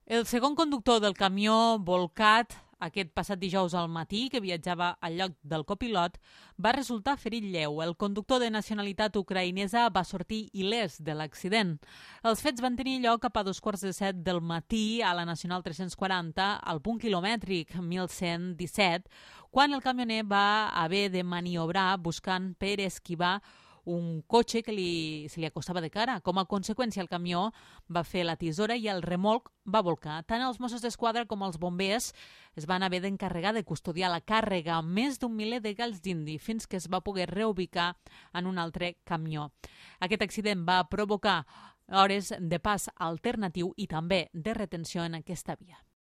El segon conductor del camió volcat aquest passat dijous al matí, que viatjava al lloc del copilot, va resultar ferit lleu. El conductor de nacionalitat ucraïnesa va sortir il·lès de l'accident. Els fets van tenir lloc cap a 2:15 del matí a la Nacional 340, al punt quilomètric 1117, quan el camioner va haver de maniobrar buscant per esquivar un cotxe que se li acostava de cara. Com a conseqüència, el camió va fer la tisora i el remolc va volcar. Tant els Mossos d'Esquadra com els bombers es van haver d'encarregar de custodiar la càrrega amb més d'un miler de galls d'indi fins que es va poder reubicar en un altre camió. Aquest accident va provocar hores de pas alternatiu i també de retenció en aquesta via.